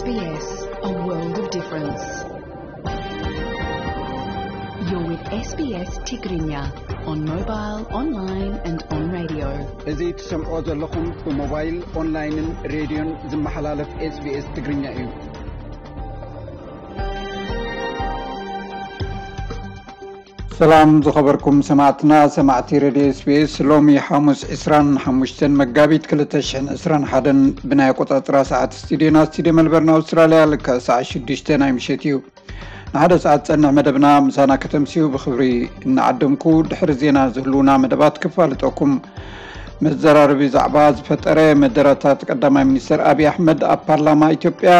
S B S, a world of difference. You're with S B S Tigrinya on mobile, online and on radio. እዚ ትሰምዖ ዘለኹም ብሞባይል፣ ኦንላይንን ሬድዮን ዝመሓላለፍ S B S ትግርኛ እዩ። ሰላም ዝኸበርኩም ሰማዕትና፣ ሰማዕቲ ሬድዮ S B S፣ ሎሚ ሓሙስ ዕስራን ሓሙሽተን መጋቢት ክልተ ሽሕን ዕስራን ሓደን ብናይ ኣቆጻጽራ ሰዓት ስቱዲዮና፣ ስቱዲዮ መልበርን ኣውስትራልያ፣ ልክዕ ሰዓት ሽዱሽተ ናይ ምሸት እዩ። ንሓደ ሰዓት ጸንሕ መደብና ምሳና ከተምስዩ ብኽብሪ እናዓደምኩ፣ ድሕሪ ዜና ዝህልውና መደባት ክፋልጠኩም። መዘራረቢ ዛዕባ ዝፈጠረ መደረታት ቀዳማይ ሚኒስትር ኣብይ ኣሕመድ ኣብ ፓርላማ ኢትዮጵያ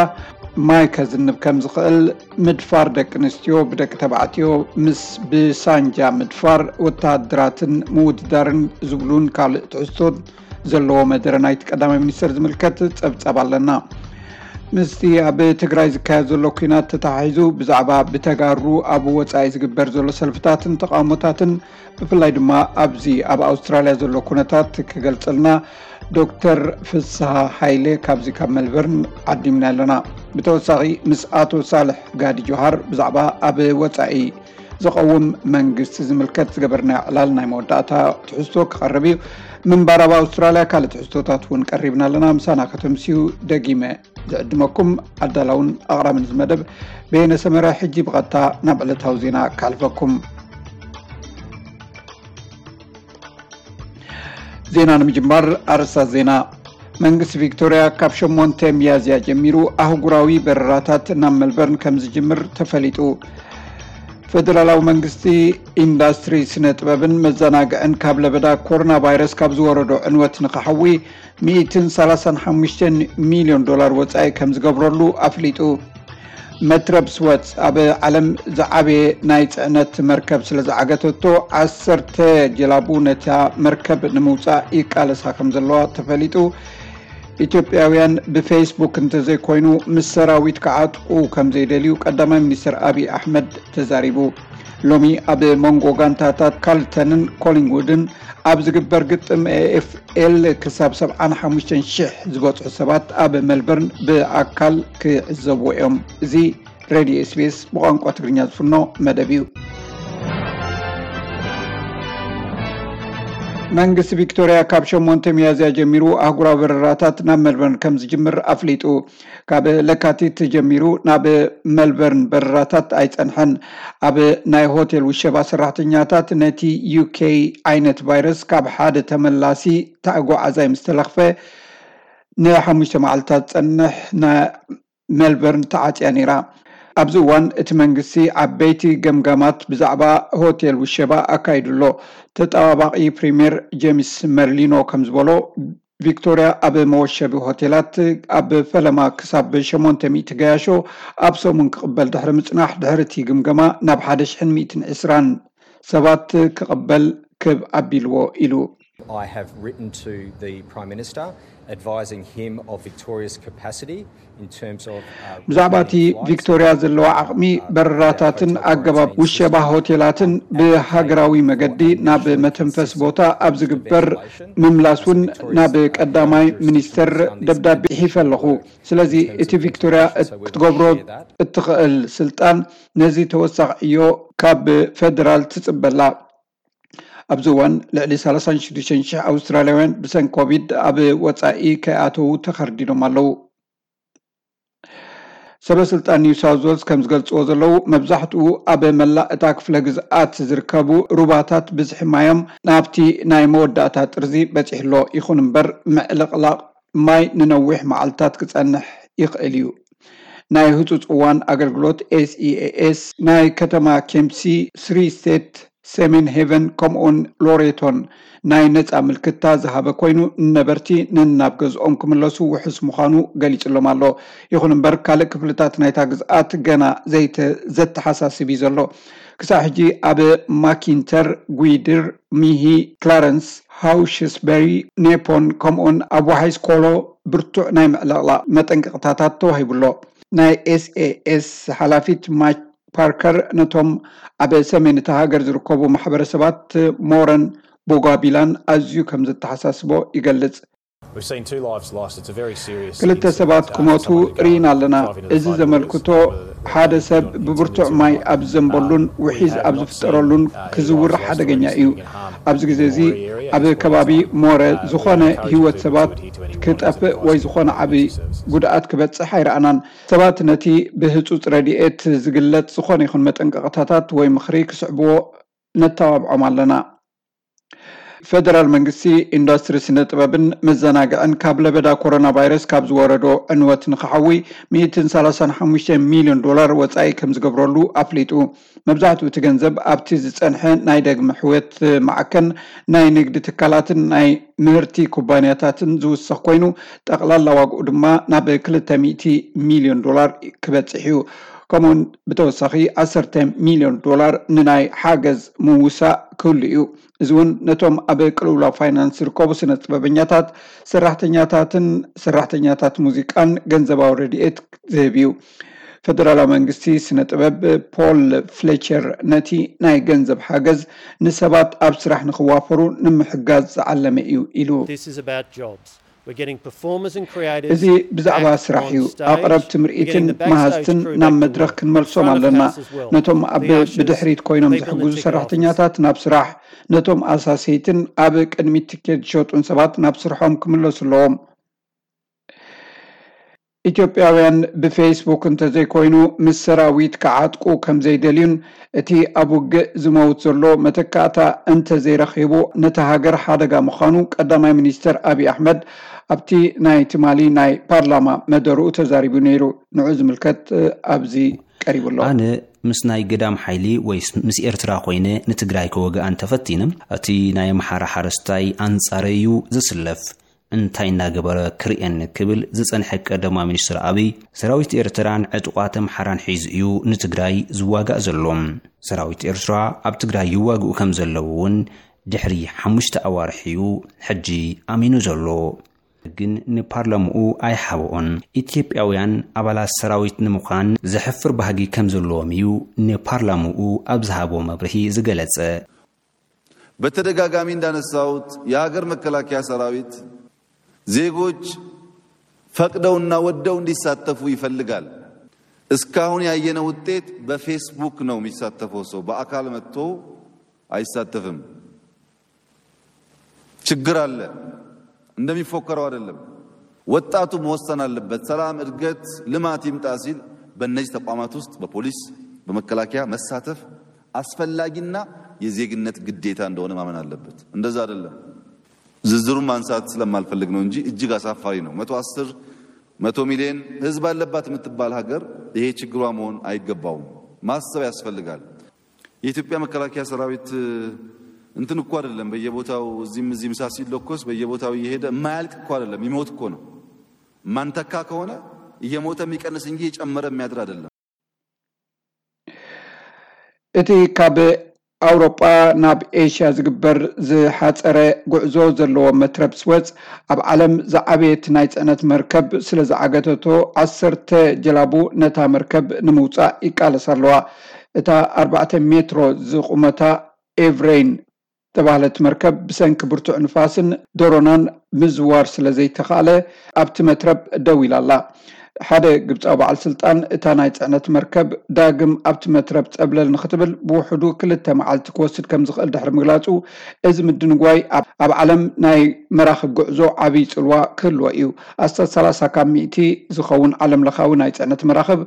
ማይ ከዝንብ ከም ዝኽእል፣ ምድፋር ደቂ ኣንስትዮ ብደቂ ተባዕትዮ ምስ ብሳንጃ ምድፋር ወተሃደራትን ምውድዳርን ዝብሉን ካልእ ትሕዝቶን ዘለዎ መደረ ናይቲ ቀዳማይ ሚኒስትር ዝምልከት ጸብጻብ ኣለና። ምስቲ ኣብ ትግራይ ዝካየድ ዘሎ ኲናት ተተሓሒዙ ብዛዕባ ብተጋሩ ኣብ ወጻኢ ዝግበር ዘሎ ሰልፍታትን ተቓውሞታትን ብፍላይ ድማ ኣብዚ ኣብ ኣውስትራልያ ዘሎ ኩነታት ክገልጸልና ዶክተር ፍስሃ ሃይለ ካብዚ ካብ መልበርን ዓዲምና ኣለና። ብተወሳኺ ምስ ኣቶ ሳልሕ ጋዲ ጆሃር ብዛዕባ ኣብ ወጻኢ ዝቐውም መንግስቲ ዝምልከት ዝገበርናዮ ዕላል ናይ መወዳእታ ትሕዝቶ ክቐርብ እዩ። ምንባር ኣብ ኣውስትራልያ ካልእ ትሕዝቶታት እውን ቀሪብና ኣለና። ምሳና ከተምስዩ ደጊመ ዝዕድመኩም ኣዳላውን ኣቕራብን እዚ መደብ በየነ ሰመረ። ሕጂ ብቐጥታ ናብ ዕለታዊ ዜና ከሕልፈኩም። ዜና ንምጅማር ኣርእስታት ዜና። መንግስቲ ቪክቶርያ ካብ ሸሞንተ ሚያዝያ ጀሚሩ ኣህጉራዊ በረራታት ናብ መልበርን ከም ዝጅምር ተፈሊጡ። ፈደራላዊ መንግስቲ ኢንዳስትሪ ስነ ጥበብን መዘናግዕን ካብ ለበዳ ኮሮና ቫይረስ ካብ ዝወረዶ ዕንወት ንክሓዊ ሚእትን ሰላሳን ሓሙሽተን ሚልዮን ዶላር ወጻኢ ከም ዝገብረሉ ኣፍሊጡ። መትረብ ስወዝ ኣብ ዓለም ዝዓበየ ናይ ጽዕነት መርከብ ስለ ዝዓገተቶ፣ ዓሰርተ ጀላቡ ነታ መርከብ ንምውጻእ ይቃለሳ ከም ዘለዋ ተፈሊጡ። ኢትዮጵያውያን ብፌስቡክ እንተዘይኮይኑ ምስ ሰራዊት ክዓጥቁ ከም ዘይደልዩ ቀዳማይ ሚኒስትር ኣብይ ኣሕመድ ተዛሪቡ። ሎሚ ኣብ መንጎ ጋንታታት ካልተንን ኮሊንግውድን ኣብ ዝግበር ግጥም ኤ ኤፍ ኤል ክሳብ ሰብዓን ሓሙሽተን ሽሕ ዝበጽሑ ሰባት ኣብ መልበርን ብኣካል ክዕዘብዎ እዮም። እዚ ሬድዮ S B S ብቋንቋ ትግርኛ ዝፍኖ መደብ እዩ። መንግስቲ ቪክቶርያ ካብ ሸሞንተ ሚያዝያ ጀሚሩ ኣህጉራዊ በረራታት ናብ መልበርን ከም ዝጅምር ኣፍሊጡ። ካብ ለካቲት ጀሚሩ ናብ መልበርን በረራታት ኣይጸንሐን። ኣብ ናይ ሆቴል ውሸባ ሰራሕተኛታት ነቲ ዩ ኬ ዓይነት ቫይረስ ካብ ሓደ ተመላሲ ተጓዓዛይ ምስ ተለኽፈ ንሓሙሽተ መዓልታት ዝጸንሕ ና-፣ መልበርን ተዓጽያ ነይራ። ኣብዚ እዋን እቲ መንግስቲ ዓበይቲ ገምጋማት ብዛዕባ ሆቴል ውሸባ ኣካይዱ ኣሎ። ተጠባባቒ ፕሪምየር ጄምስ መርሊኖ ከም ዝበሎ፣ ቪክቶርያ ኣብ መወሸቢ ሆቴላት ኣብ ፈለማ ክሳብ ሸሞንተ ሚእቲ ገያሾ ኣብ ሰሙን ክቕበል ድሕሪ ምጽናሕ፣ ድሕሪ እቲ ግምገማ ናብ ሓደ ሽሕን ሚእትን ዕስራን ሰባት ክቕበል ክብ ኣቢልዎ ኢሉ። I have written to the Prime Minister advising him of Victoria's capacity in terms of, uh, ብዛዕባ እቲ ቪክቶርያ ዘለዋ ዓቕሚ፣ በረራታትን ኣገባብ ውሸባ ሆቴላትን ብሃገራዊ መገዲ ናብ መተንፈሲ ቦታ ኣብ ዝግበር ምምላስ እውን ናብ ቀዳማይ ሚኒስተር ደብዳቤ ጽሒፈ ኣለኹ። ስለዚ እቲ ቪክቶርያ ክትገብሮ እትኽእል ስልጣን ነዚ ተወሳኺ ዕዮ ካብ ፈደራል ትጽበላ። ኣብዚ እዋን ልዕሊ ሰላሳን ሽዱሽተን ሽሕ ኣውስትራልያውያን ብሰንኪ ኮቪድ ኣብ ወጻኢ ከይኣተዉ ተኸርዲዶም ኣለዉ። ሰበ ስልጣን ኒው ሳውዝ ዌልስ ከም ዝገልጽዎ ዘለዉ፣ መብዛሕትኡ ኣብ መላእ እታ ክፍለ ግዝኣት ዝርከቡ ሩባታት ብዝሒ ማዮም ናብቲ ናይ መወዳእታ ጥርዚ በጺሑ ኣሎ። ይኹን እምበር፣ ምዕልቕላቕ ማይ ንነዊሕ መዓልታት ክጸንሕ ይኽእል እዩ። ናይ ህጹጽ እዋን ኣገልግሎት ኤስ ኢ ኤ ኤስ ናይ ከተማ ኬምፕሲ፣ ስሪ ስቴት፣ ሰሜን ሄቨን ከምኡውን ሎሬቶን ናይ ነጻ ምልክታ ዝሃበ ኮይኑ፣ ንነበርቲ ነናብ ገዝኦም ክምለሱ ውሑስ ምዃኑ ገሊጹሎም ኣሎ። ይኹን እምበር፣ ካልእ ክፍልታት ናይታ ግዝኣት ገና ዘይተ-፣ ዘተሓሳስብ እዩ ዘሎ። ክሳብ ሕጂ ኣብ ማኪንተር፣ ጒድር፣ ሚሂ፣ ክላረንስ፣ ሃውሽስበሪ፣ ኔፖን ከምኡውን ኣብ ዋሃይስ ኮሎ ብርቱዕ ናይ ምዕልቕላቕ መጠንቀቕታታት ተዋሂቡ ኣሎ። ናይ ኤስ ኤ ኤስ ሓላፊት ማይክ ፓርከር ነቶም ኣብ ሰሜን እታ ሃገር ዝርከቡ ማሕበረሰባት ሞረን ቦጋቢላን ኣዝዩ ከም ዘተሓሳስቦ ይገልጽ። ክልተ ሰባት ክሞቱ ርኢና ኣለና። እዚ ዘመልክቶ ሓደ ሰብ ብብርቱዕ ማይ ኣብ ዝዘንበሉን ውሒዝ ኣብ ዝፍጠረሉን ክዝውር ሓደገኛ እዩ። ኣብዚ ግዜ እዚ ኣብ ከባቢ ሞረ ዝኾነ ህይወት ሰባት ክጠፍእ ወይ ዝኾነ ዓቢ ጉድኣት ክበጽሕ ኣይረኣናን። ሰባት ነቲ ብህጹጽ ረድኤት ዝግለጽ ዝኾነ ይኹን መጠንቀቕታታት ወይ ምኽሪ ክስዕብዎ ነተባብዖም ኣለና። ፈደራል መንግስቲ ኢንዱስትሪ ስነ ጥበብን መዘናግዕን ካብ ለበዳ ኮሮና ቫይረስ ካብ ዝወረዶ ዕንወት ንክሓዊ ሚእትን ሰላሳን ሓሙሽተ ሚልዮን ዶላር ወጻኢ ከም ዝገብረሉ ኣፍሊጡ። መብዛሕትኡ እቲ ገንዘብ ኣብቲ ዝጸንሐ ናይ ደግመ ሕወት ማዕከን ናይ ንግዲ ትካላትን ናይ ምህርቲ ኩባንያታትን ዝውሰኽ ኮይኑ፣ ጠቕላላ ዋግኡ ድማ ናብ ክልተ ሚእቲ ሚልዮን ዶላር ክበጽሕ እዩ። ከምኡውን ብተወሳኺ ዓሰርተ ሚልዮን ዶላር ንናይ ሓገዝ ምውሳእ ክህሉ እዩ። እዚ እውን ነቶም ኣብ ቅልውላው ፋይናንስ ዝርከቡ ስነ ጥበበኛታት፣ ሰራሕተኛታትን ሰራሕተኛታት ሙዚቃን ገንዘባዊ ረድኤት ዝህብ እዩ። ፈደራላዊ መንግስቲ ስነ ጥበብ ፖል ፍሌቸር ነቲ ናይ ገንዘብ ሓገዝ ንሰባት ኣብ ስራሕ ንክዋፈሩ ንምሕጋዝ ዝዓለመ እዩ ኢሉ። This is about jobs. We're getting performers and creatives እዚ ብዛዕባ back ስራሕ on እዩ። stage. ኣቕረብቲ We're ምርኢትን getting the backstage መሃዝትን crew ናብ back to መድረኽ work. ክንመልሶም Front of ኣለና። House as well. ነቶም ኣብ The ushers, ብድሕሪት ኮይኖም people in the ዝሕግዙ ticket office. ሰራሕተኛታት ናብ ስራሕ፣ ነቶም ኣሳሰይትን ኣብ ቅድሚት ትኬት ዝሸጡን ሰባት ናብ ስርሖም ክምለሱ ኣለዎም። ኢትዮጵያውያን ብፌስቡክ እንተዘይኮይኑ ምስ ሰራዊት ክዓጥቁ ከም ዘይደልዩን እቲ ኣብ ውግእ ዝመውት ዘሎ መተካእታ እንተዘይረኺቡ ነታ ሃገር ሓደጋ ምዃኑ ቀዳማይ ሚኒስተር ኣብይ ኣሕመድ ኣብቲ ናይ ትማሊ ናይ ፓርላማ መደርኡ ተዛሪቡ ነይሩ። ንዑ ዝምልከት ኣብዚ ቀሪቡ ኣሎ። ኣነ ምስ ናይ ግዳም ሓይሊ ወይስ ምስ ኤርትራ ኮይነ ንትግራይ ክወግኣ እንተፈቲነ፣ እቲ ናይ ኣምሓራ ሓረስታይ ኣንጻረይ እዩ ዝስለፍ። እንታይ እናገበረ ክርእየኒ ክብል ዝጸንሐ ቀዳማይ ሚኒስትር ኣብይ፣ ሰራዊት ኤርትራን ዕጡቓት ኣምሓራን ሒዙ እዩ ንትግራይ ዝዋጋእ ዘሎ። ሰራዊት ኤርትራ ኣብ ትግራይ ይዋግኡ ከም ዘለዉ እውን ድሕሪ ሓሙሽተ ኣዋርሕ እዩ ሕጂ ኣሚኑ ዘሎ። ግን ንፓርላምኡ ኣይሓብኦን። ኢትዮጵያውያን ኣባላት ሰራዊት ንምዃን ዘሕፍር ባህጊ ከም ዘለዎም እዩ ንፓርላምኡ ኣብ ዝሃቦ መብርሂ ዝገለጸ። በተደጋጋሚ እንዳነሳሁት የሀገር መከላከያ ሰራዊት ዜጎች ፈቅደውና ወደው እንዲሳተፉ ይፈልጋል። እስካሁን ያየነው ውጤት በፌስቡክ ነው የሚሳተፈው ሰው በአካል መጥቶ አይሳተፍም። ችግር አለ። እንደሚፎከረው አይደለም። ወጣቱ መወሰን አለበት። ሰላም፣ እድገት፣ ልማት ይምጣ ሲል በእነዚህ ተቋማት ውስጥ በፖሊስ በመከላከያ መሳተፍ አስፈላጊና የዜግነት ግዴታ እንደሆነ ማመን አለበት። እንደዛ አይደለም። ዝርዝሩን ማንሳት ስለማልፈልግ ነው እንጂ እጅግ አሳፋሪ ነው። መቶ አስር መቶ ሚሊዮን ህዝብ አለባት የምትባል ሀገር ይሄ ችግሯ መሆን አይገባውም። ማሰብ ያስፈልጋል። የኢትዮጵያ መከላከያ ሰራዊት እንትን እኮ አይደለም። በየቦታው እዚህም እዚህም እሳት ሲለኮስ በየቦታው እየሄደ የማያልቅ እኮ አይደለም፣ ይሞት እኮ ነው። ማንተካ ከሆነ እየሞተ የሚቀንስ እንጂ እየጨመረ የሚያድር አይደለም። እቲ ካብ ኣውሮጳ ናብ ኤሽያ ዝግበር ዝሓፀረ ጉዕዞ ዘለዎ መትረብ ስወዝ ኣብ ዓለም ዝዓበየት ናይ ፅዕነት መርከብ ስለ ዝዓገተቶ ዓሰርተ ጀላቡ ነታ መርከብ ንምውፃእ ይቃለሳ ኣለዋ። እታ ኣርባዕተ ሜትሮ ዝቑመታ ኤቭሬን ዝተባህለት መርከብ ብሰንኪ ብርቱዕ ንፋስን ደሮናን ምዝዋር ስለ ዘይተኻእለ ኣብቲ መትረብ ደው ኢላ ኣላ። ሓደ ግብፃዊ በዓል ስልጣን እታ ናይ ፅዕነት መርከብ ዳግም ኣብቲ መትረብ ፀብለል ንክትብል ብውሕዱ ክልተ መዓልቲ ክወስድ ከም ዝኽእል ድሕሪ ምግላፁ፣ እዚ ምድንጓይ ኣብ ዓለም ናይ መራኽብ ጉዕዞ ዓብዪ ፅልዋ ክህልዎ እዩ። ኣስታት ሰላሳ ካብ ሚእቲ ዝኸውን ዓለም ለኻዊ ናይ ፅዕነት መራኽብ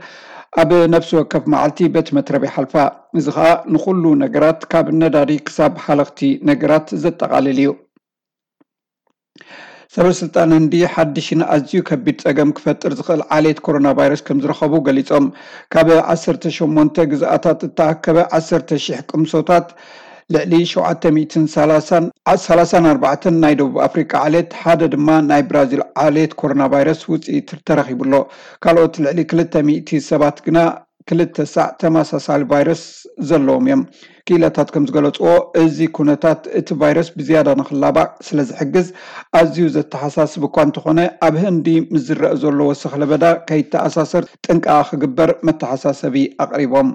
ኣብ ነፍሲ ወከፍ መዓልቲ በቲ መትረብ ይሓልፋ። እዚ ኸኣ ንኹሉ ነገራት ካብ ነዳዲ ክሳብ ሃለኽቲ ነገራት ዘጠቓልል እዩ። ሰበ ስልጣን ህንዲ ሓድሽን ኣዝዩ ከቢድ ጸገም ክፈጥር ዝኽእል ዓሌት ኮሮና ቫይረስ ከም ዝረኸቡ ገሊጾም። ካብ ዓሰርተ ሸሞንተ ግዝኣታት እተኣከበ ዓሰርተ ሺሕ ቅምሶታት ልዕሊ ሸውዓተ ሚእትን ሰላሳን ናይ ደቡብ ኣፍሪቃ ዓሌት ሓደ ድማ ናይ ብራዚል ዓሌት ኮሮና ቫይረስ ውፅኢት ተረኺቡ ኣሎ። ካልኦት ልዕሊ ክልተ ሚእቲ ሰባት ግና ክልተ ሳዕ ተመሳሳሊ ቫይረስ ዘለዎም እዮም። ክኢላታት ከም ዝገለፅዎ፣ እዚ ኩነታት እቲ ቫይረስ ብዝያዳ ንክላባዕ ስለ ዝሕግዝ ኣዝዩ ዘተሓሳስብ እኳ እንተኾነ፣ ኣብ ህንዲ ምስ ዝረአ ዘሎ ወሰኽ ለበዳ ከይተኣሳሰር ጥንቃቐ ክግበር መተሓሳሰቢ ኣቕሪቦም።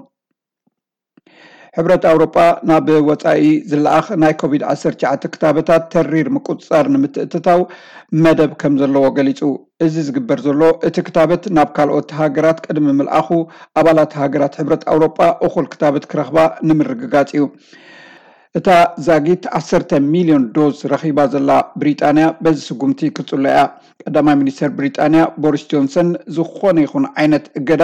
ሕብረት ኣውሮጳ ናብ ወጻኢ ዝለኣኽ ናይ ኮቪድ ዓሰርተ ትሽዓተ ክታበታት ተሪር ምቁጽጻር ንምትእትታው መደብ ከም ዘለዎ ገሊጹ። እዚ ዝግበር ዘሎ፣ እቲ ክታበት ናብ ካልኦት ሃገራት ቅድሚ ምልኣኹ፣ ኣባላት ሃገራት ሕብረት ኣውሮጳ እኹል ክታበት ክረኽባ ንምርግጋጽ እዩ። እታ ዛጊት ዓሰርተ ሚልዮን ዶዝ ረኺባ ዘላ ብሪጣንያ በዚ ስጉምቲ ክትጽሎ እያ። ቀዳማይ ሚኒስተር ብሪጣንያ ቦሪስ ጆንሰን፣ ዝኾነ ይኹን ዓይነት እገዳ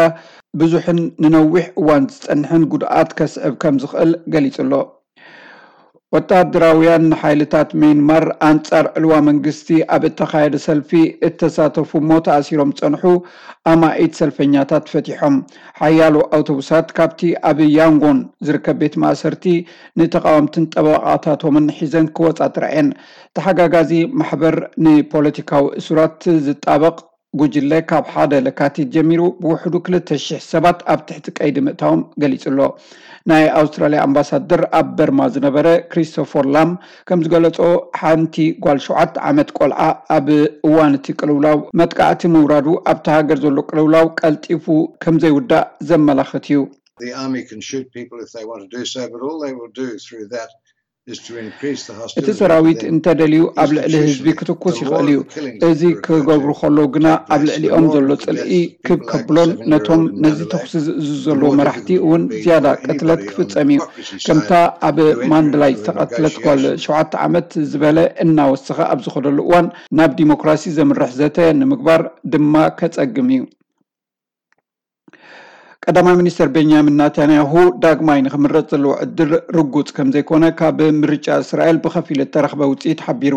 ብዙሕን ንነዊሕ እዋን ዝጸንሕን ጉድኣት ከስዕብ ከም ዝኽእል ገሊጹ ኣሎ። ወታደራውያን ሓይልታት ሚያንማር ኣንጻር ዕልዋ መንግስቲ ኣብ እተኻየደ ሰልፊ እተሳተፉ እሞ ተኣሲሮም ዝጸንሑ ኣማኢት ሰልፈኛታት ፈቲሖም። ሓያሎ ኣውቶቡሳት ካብቲ ኣብ ያንጎን ዝርከብ ቤት ማእሰርቲ ንተቓወምትን ጠበቓታቶምን ሒዘን ክወጻ ተራእየን። ተሓጋጋዚ ማሕበር ንፖለቲካዊ እሱራት ዝጣበቕ ጉጅለ፣ ካብ ሓደ ለካቲት ጀሚሩ ብውሕዱ ክልተ ሽሕ ሰባት ኣብ ትሕቲ ቀይዲ ምእታዎም ገሊጹ ኣሎ። ናይ ኣውስትራልያ ኣምባሳደር ኣብ በርማ ዝነበረ ክሪስቶፈር ላም ከም ዝገለጾ፣ ሓንቲ ጓል ሸውዓተ ዓመት ቆልዓ ኣብ እዋን እቲ ቅልውላው መጥቃዕቲ ምውራዱ፣ ኣብቲ ሃገር ዘሎ ቅልውላው ቀልጢፉ ከም ዘይውዳእ ዘመላኽት እዩ። The army can shoot people if they want to do so, but all they will do through that is to increase the hostility. እቲ ሰራዊት እንተደልዩ ኣብ ልዕሊ ህዝቢ ክትኩስ ይኽእል እዩ። እዚ ክገብሩ ከለዉ ግና ኣብ ልዕሊኦም ዘሎ ጽልኢ ክብ ከብሎን ነቶም ነዚ ተኹሲ ዝእዝዙ ዘለዉ መራሕቲ እውን ዝያዳ ቅትለት ክፍጸም እዩ። ከምታ ኣብ ማንድላይ ዝተቐትለት ጓል ሸውዓተ ዓመት ዝበለ እናወሰኸ ኣብ ዝኸደሉ እዋን፣ ናብ ዲሞክራሲ ዘምርሕ ዘተ ንምግባር ድማ ከጸግም እዩ። ቀዳማይ ሚኒስተር ቤንያሚን ናታንያሁ ዳግማይ ንኽምረጽ ዘለዎ ዕድል ርጉጽ ከም ዘይኮነ ካብ ምርጫ እስራኤል ብኸፊል እተረኽበ ውጽኢት ሓቢሩ።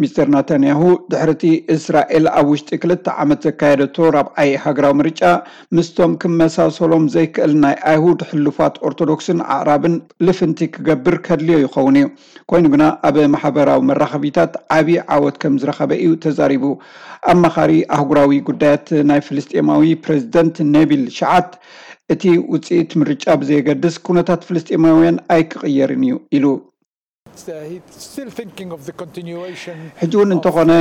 ሚስተር ናታንያሁ ድሕሪ እቲ እስራኤል ኣብ ውሽጢ ክልተ ዓመት ዘካየደቶ ራብዓይ ሃገራዊ ምርጫ፣ ምስቶም ክመሳሰሎም ዘይክእል ናይ ኣይሁድ ሕሉፋት ኦርቶዶክስን ኣዕራብን ልፍንቲ ክገብር ከድልዮ ይኸውን እዩ። ኮይኑ ግና ኣብ ማሕበራዊ መራኸቢታት ዓቢ ዓወት ከም ዝረኸበ እዩ ተዛሪቡ። ኣማኻሪ ኣህጉራዊ ጉዳያት ናይ ፍልስጤማዊ ፕሬዝደንት ነቢል ሸዓት፣ እቲ ውጽኢት ምርጫ ብዘየገድስ ኩነታት ፍልስጤማውያን ኣይክቕየርን እዩ ኢሉ። He's still thinking of the continuation. ሕጂ እውን እንተኾነ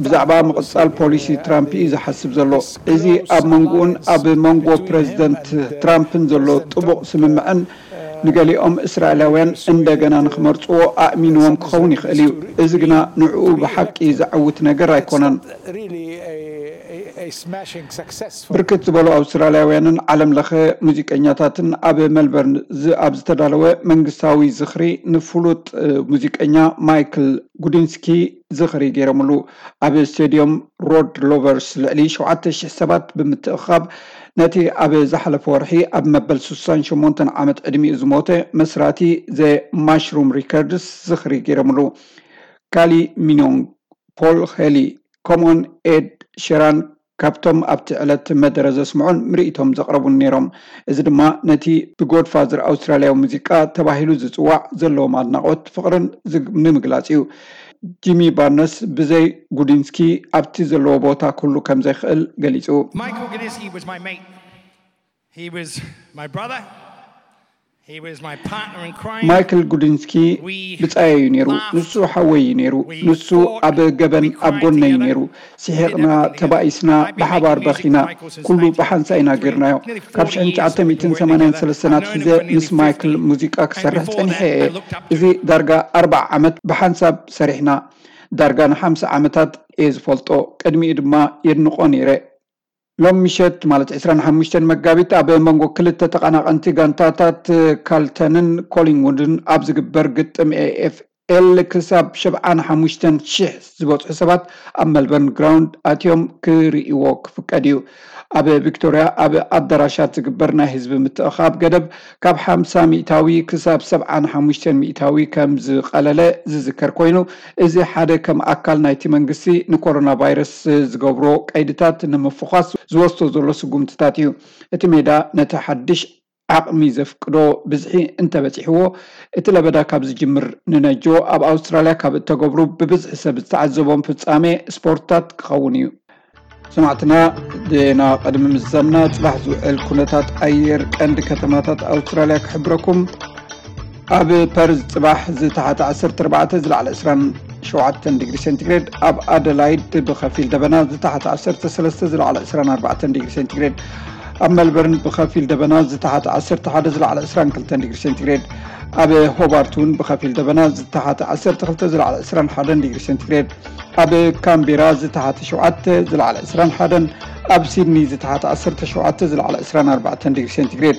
ብዛዕባ ምቕጻል ፖሊሲ ትራምፕ እዩ ዝሓስብ ዘሎ። እዚ ኣብ መንጎኡን ኣብ መንጎ ፕሬዝደንት ትራምፕን ዘሎ ጥቡቕ ስምምዕን ንገሊኦም እስራኤላውያን እንደገና ንኽመርጽዎ ኣእሚንዎም ክኸውን ይኽእል እዩ። እዚ ግና ንዕኡ ብሓቂ ዘዕውት ነገር ኣይኮነን። ብርክት ዝበሉ ኣውስትራልያውያንን ዓለም ለኸ ሙዚቀኛታትን ኣብ ሜልበርን ኣብ ዝተዳለወ መንግስታዊ ዝኽሪ ንፍሉጥ ሙዚቀኛ ማይክል ጉዲንስኪ ዝኽሪ ገይሮምሉ። ኣብ ስቴድዮም ሮድ ሎቨርስ ልዕሊ ሸውዓተ ሽሕ ሰባት ብምትእኻብ ነቲ ኣብ ዝሓለፈ ወርሒ ኣብ መበል ስሳን ሸሞንተን ዓመት ዕድሚኡ ዝሞተ መስራቲ ዘ ማሽሩም ሪከርድስ ዝኽሪ ገይሮምሉ። ካሊ ሚኖንግ፣ ፖል ኸሊ፣ ከምኡውን ኤድ ሸራን ካብቶም ኣብቲ ዕለት መደረ ዘስምዑን ምርኢቶም ዘቕረቡን ነይሮም። እዚ ድማ ነቲ ብጎድፋዘር ኣውስትራልያዊ ሙዚቃ ተባሂሉ ዝጽዋዕ ዘለዎም ኣድናቖት ፍቕርን ንምግላጽ እዩ። ጂሚ ባርነስ ብዘይ ጉዲንስኪ ኣብቲ ዘለዎ ቦታ ክህሉ ከም ዘይክእል ገሊጹ። ማይክል ጉዲንስኪ ብጻየይ እዩ ነይሩ። ንሱ ሓወይ እዩ ነይሩ። ንሱ ኣብ ገበን ኣብ ጎነይ እዩ ነይሩ። ስሒቕና፣ ተባኢስና፣ ብሓባር በኺና። ኩሉ ብሓንሳ ኢና ጌርናዮ። ካብ ሽሕን ትሽዓተ ሚእትን ሰማንያን ሰለስተን ኣትሒዘ ምስ ማይክል ሙዚቃ ክሰርሕ ጸኒሐ እየ። እዚ ዳርጋ ኣርብዓ ዓመት ብሓንሳብ ሰሪሕና። ዳርጋ ንሓምሳ ዓመታት እየ ዝፈልጦ። ቅድሚኡ ድማ የድንቖ ነይረ። ሎም ምሸት ማለት ዕስራን ሓሙሽተን መጋቢት ኣብ መንጎ ክልተ ተቐናቐንቲ ጋንታታት ካልተንን ኮሊንጉድን ኣብ ዝግበር ግጥም ኤኤፍኤል ክሳብ ሸብዓን ሓሙሽተን ሽሕ ዝበጽሑ ሰባት ኣብ መልበርን ግራውንድ ኣትዮም ክርእይዎ ክፍቀድ እዩ። ኣብ ቪክቶርያ ኣብ ኣዳራሻት ዝግበር ናይ ህዝቢ ምትእኻብ ገደብ ካብ ሓምሳ ሚእታዊ ክሳብ ሰብዓን ሓሙሽተን ሚእታዊ ከም ዝቐለለ ዝዝከር ኮይኑ፣ እዚ ሓደ ከም ኣካል ናይቲ መንግስቲ ንኮሮና ቫይረስ ዝገብሮ ቀይድታት ንምፍዃስ ዝወስዶ ዘሎ ስጉምትታት እዩ። እቲ ሜዳ ነቲ ሓድሽ ዓቕሚ ዘፍቅዶ ብዝሒ እንተበጺሕዎ፣ እቲ ለበዳ ካብ ዝጅምር ንነጆ ኣብ ኣውስትራልያ ካብ እተገብሩ ብብዝሒ ሰብ ዝተዓዘቦም ፍጻሜ ስፖርትታት ክኸውን እዩ። ሰማዕትና፣ ዜና ቅድሚ ምዝዛምና፣ ጽባሕ ዝውዕል ኩነታት ኣየር ቀንዲ ከተማታት ኣውስትራልያ ክሕብረኩም። ኣብ ፐርዝ ጽባሕ ዝተሓተ ዓሰርተ ኣርባዕተ፣ ዝለዓለ ዕስራን ሸውዓተን ዲግሪ ሴንቲግሬድ፣ ኣብ ኣደላይድ ብኸፊል ደበና ዝተሓተ ዓሰርተ ሰለስተ፣ ዝለዓለ ዕስራን ኣርባዕተን ዲግሪ ሴንቲግሬድ፣ ኣብ መልበርን ብኸፊል ደበና ዝተሓተ ዓሰርተ ሓደ ዝለዓለ ዕስራን ክልተን ዲግሪ ሴንቲግሬድ፣ ኣብ ሆባርት እውን ብኸፊል ደበና ዝተሓተ ዓሰርተ ክልተ ዝለዓለ ዕስራን ሓደን ዲግሪ ሴንቲግሬድ፣ ኣብ ካምቤራ ዝተሓተ ሸውዓተ ዝለዓለ ዕስራን ሓደን፣ ኣብ ሲድኒ ዝተሓተ ዓሰርተ ሸውዓተ ዝለዓለ ዕስራን ኣርባዕተን ዲግሪ ሴንቲግሬድ፣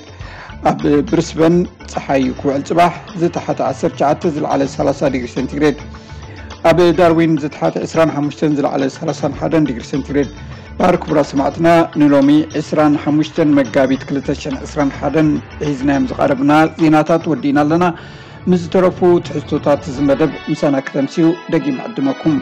ኣብ ብሪስበን ጸሓይ ክውዕል ጽባሕ ዝተሓተ ዓሰርተ ትሽዓተ ዝለዓለ ሰላሳ ዲግሪ ሴንቲግሬድ፣ ኣብ ዳርዊን ዝተሓተ ዕስራን ሓሙሽተን ዝለዓለ ሰላሳን ሓደን ዲግሪ ሴንቲግሬድ። ባር ክቡራት ሰማዕትና፣ ንሎሚ ዕስራን ሓሙሽተን መጋቢት ክልተ ሽሕን ዕስራን ሓደን ሒዝናዮም ዝቐረብና ዜናታት ወዲእና ኣለና። ምስ ዝተረፉ ትሕዝቶታት እዚ መደብ ምሳና ክተምስዩ ደጊም ዕድመኩም።